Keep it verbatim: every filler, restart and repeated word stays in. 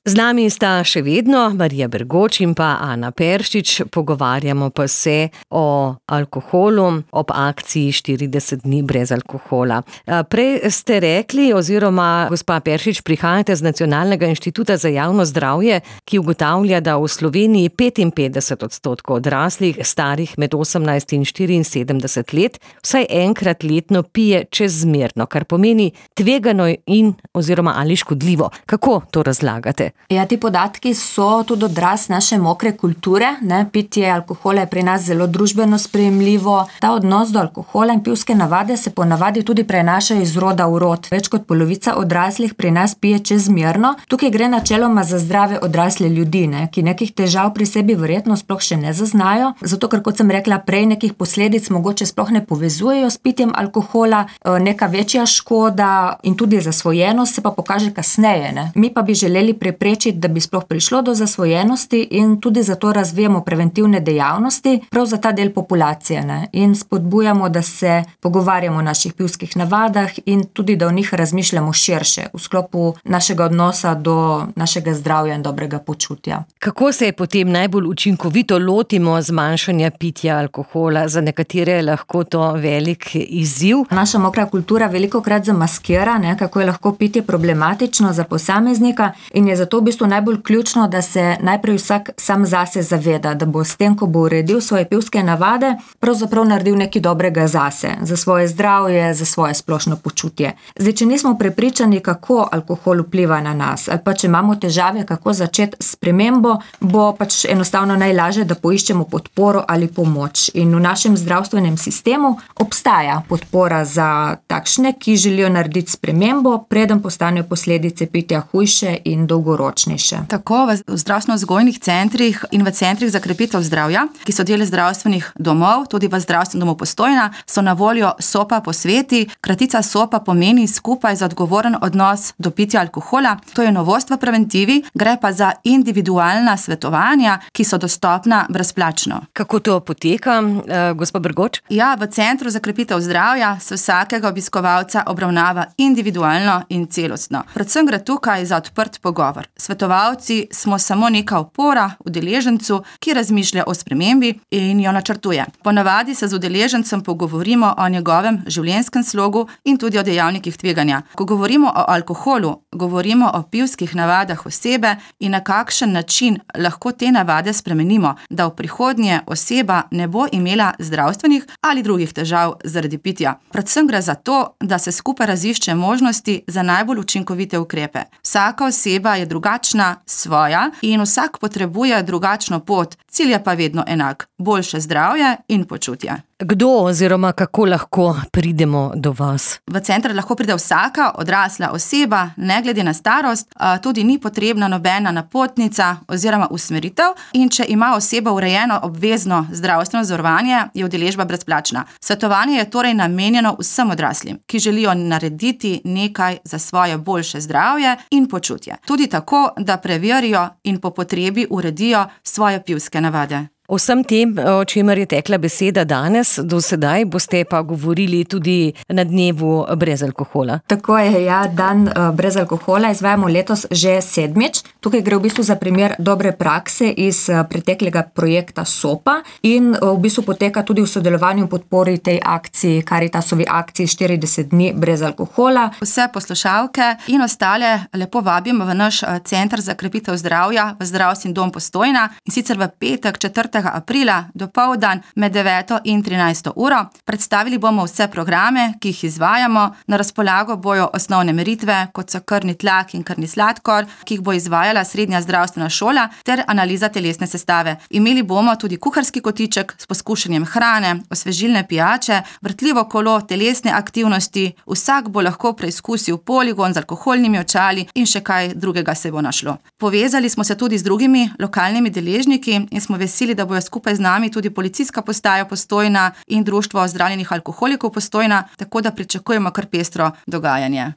Z nami sta še vedno Marija Bergoč in pa Ana Peršič, pogovarjamo pa se o alkoholu ob akciji štirideset dni brez alkohola. Prej ste rekli, oziroma gospa Peršič, prihajate z Nacionalnega inštituta za javno zdravje, ki ugotavlja, da v Sloveniji petinpetdeset odstotkov odraslih starih med osemnajst in štiriinsedemdeset let vsaj enkrat letno pije čezmerno, kar pomeni tvegano in oziroma ali škodljivo. Kako to razlagate? Ja, ti podatki so tudi odraz naše mokre kulture, ne, pitje alkohola je pri nas zelo družbeno sprejemljivo. Ta odnos do alkohola in pivske navade se ponavadi tudi prenaša iz roda v rod. Več kot polovica odraslih pri nas pije čezmerno. Tukaj gre načeloma za zdrave odrasle ljudi, ne, ki nekih težav pri sebi verjetno sploh še ne zaznajo, zato ker, kot sem rekla prej, nekih posledic mogoče sploh ne povezujejo s pitjem alkohola, neka večja škoda in tudi zasvojenost se pa pokaže kasneje, ne. Mi pa bi želeli preprečiti, da bi sploh prišlo do zasvojenosti in tudi zato razvijamo preventivne dejavnosti prav za ta del populacije, ne? In spodbujamo, da se pogovarjamo o naših pivskih navadah in tudi, da o njih razmišljamo širše v sklopu našega odnosa do našega zdravja in dobrega počutja. Kako se potem najbolj učinkovito lotimo zmanjšanja pitja alkohola? Za nekatere je lahko to velik izziv. Naša mokra kultura velikokrat zamaskira, ne, kako je lahko pitje problematično za posameznika in je zato v bistvu najbolj ključno, da se najprej vsak sam zase zaveda, da bo s tem, ko bo uredil svoje pivske navade, pravzaprav naredil nekaj dobrega zase, za svoje zdravje, za svoje splošno počutje. Zdaj, če nismo prepričani, kako alkohol vpliva na nas, ali pa če imamo težave, kako začeti s spremembo, bo pač enostavno najlažje, da poiščemo podporo ali pomoč. In v našem zdravstvenem sistemu obstaja podpora za takšne, ki želijo narediti spremembo, preden postanejo posledice pitja hujše in dolgoročnejše. Tako v zdravstveno-vzgojnih centrih in v centrih za krepitev zdravja, ki so del zdravstvenih domov, tudi v zdravstvenem domu Postojna, so na voljo SOPA posveti. Kratica SOPA pomeni skupaj za odgovoren odnos do pitja alkohola. To je novost v preventivi, gre pa za individualna svetovanja, ki so dostopna brezplačno. Kako to poteka, uh, gospa Bergoč? Ja, v Centru za krepitev zdravja se vsakega obiskovalca obravnava individualno in celostno. Predvsem gre tukaj za odprt pogovor. Svetovalci smo samo neka opora udeležencu, ki razmišlja o spremembi in jo načrtuje. Ponavadi se z udeležencem pogovorimo o njegovem življenjskem slogu in tudi o dejavnikih tveganja. Ko govorimo o alkoholu, govorimo o pivskih navadah osebe in na kakšen način lahko te navade spremenimo, da v prihodnje oseba ne bo imela zdravstvenih ali drugih težav zaradi pitja. Predvsem gre za to, da se skupaj razišče možnosti za najbolj učinkovite ukrepe. Vsaka oseba je drugačna, svoja in vsak potrebuje drugačno pot, cilj je pa vedno enak, boljše zdravje in počutje. Kdo oziroma kako lahko pridemo do vas? V center lahko pride vsaka odrasla oseba, ne glede na starost, tudi ni potrebna nobena napotnica oziroma usmeritev in če ima oseba urejeno obvezno zdravstveno zavarovanje, je udeležba brezplačna. Svetovanje je torej namenjeno vsem odraslim, ki želijo narediti nekaj za svoje boljše zdravje in počutje. Tudi tako, da preverijo in po potrebi uredijo svoje pivske navade. O vsem tem, o čemer je tekla beseda danes, do sedaj boste pa govorili tudi na dnevu brez alkohola. Tako je, ja, dan brez alkohola izvajamo letos že sedmič. Tukaj gre v bistvu za primer dobre prakse iz preteklega projekta SOPA in v bistvu poteka tudi v sodelovanju in podpori tej akciji, Karitasovi akciji štirideset dni brez alkohola. Vse poslušalke in ostale lepo vabimo v naš Center za krepitev zdravja v Zdravstveni dom Postojna in sicer v petek četrtega aprila dopoldan med deveto in trinajsto uro. Predstavili bomo vse programe, ki jih izvajamo. Na razpolago bojo osnovne meritve, kot so krvni tlak in krvni sladkor, ki jih bo izvajala srednja zdravstvena šola ter analiza telesne sestave. Imeli bomo tudi kuharski kotiček s poskušanjem hrane, osvežilne pijače, vrtljivo kolo telesne aktivnosti. Vsak bo lahko preizkusil poligon z alkoholnimi očali in še kaj drugega se bo našlo. Povezali smo se tudi z drugimi lokalnimi deležniki in smo veseli, da bojo skupaj z nami tudi policijska postaja Postojna in društvo ozdravljenih alkoholikov Postojna, tako da pričakujemo kar pestro dogajanje.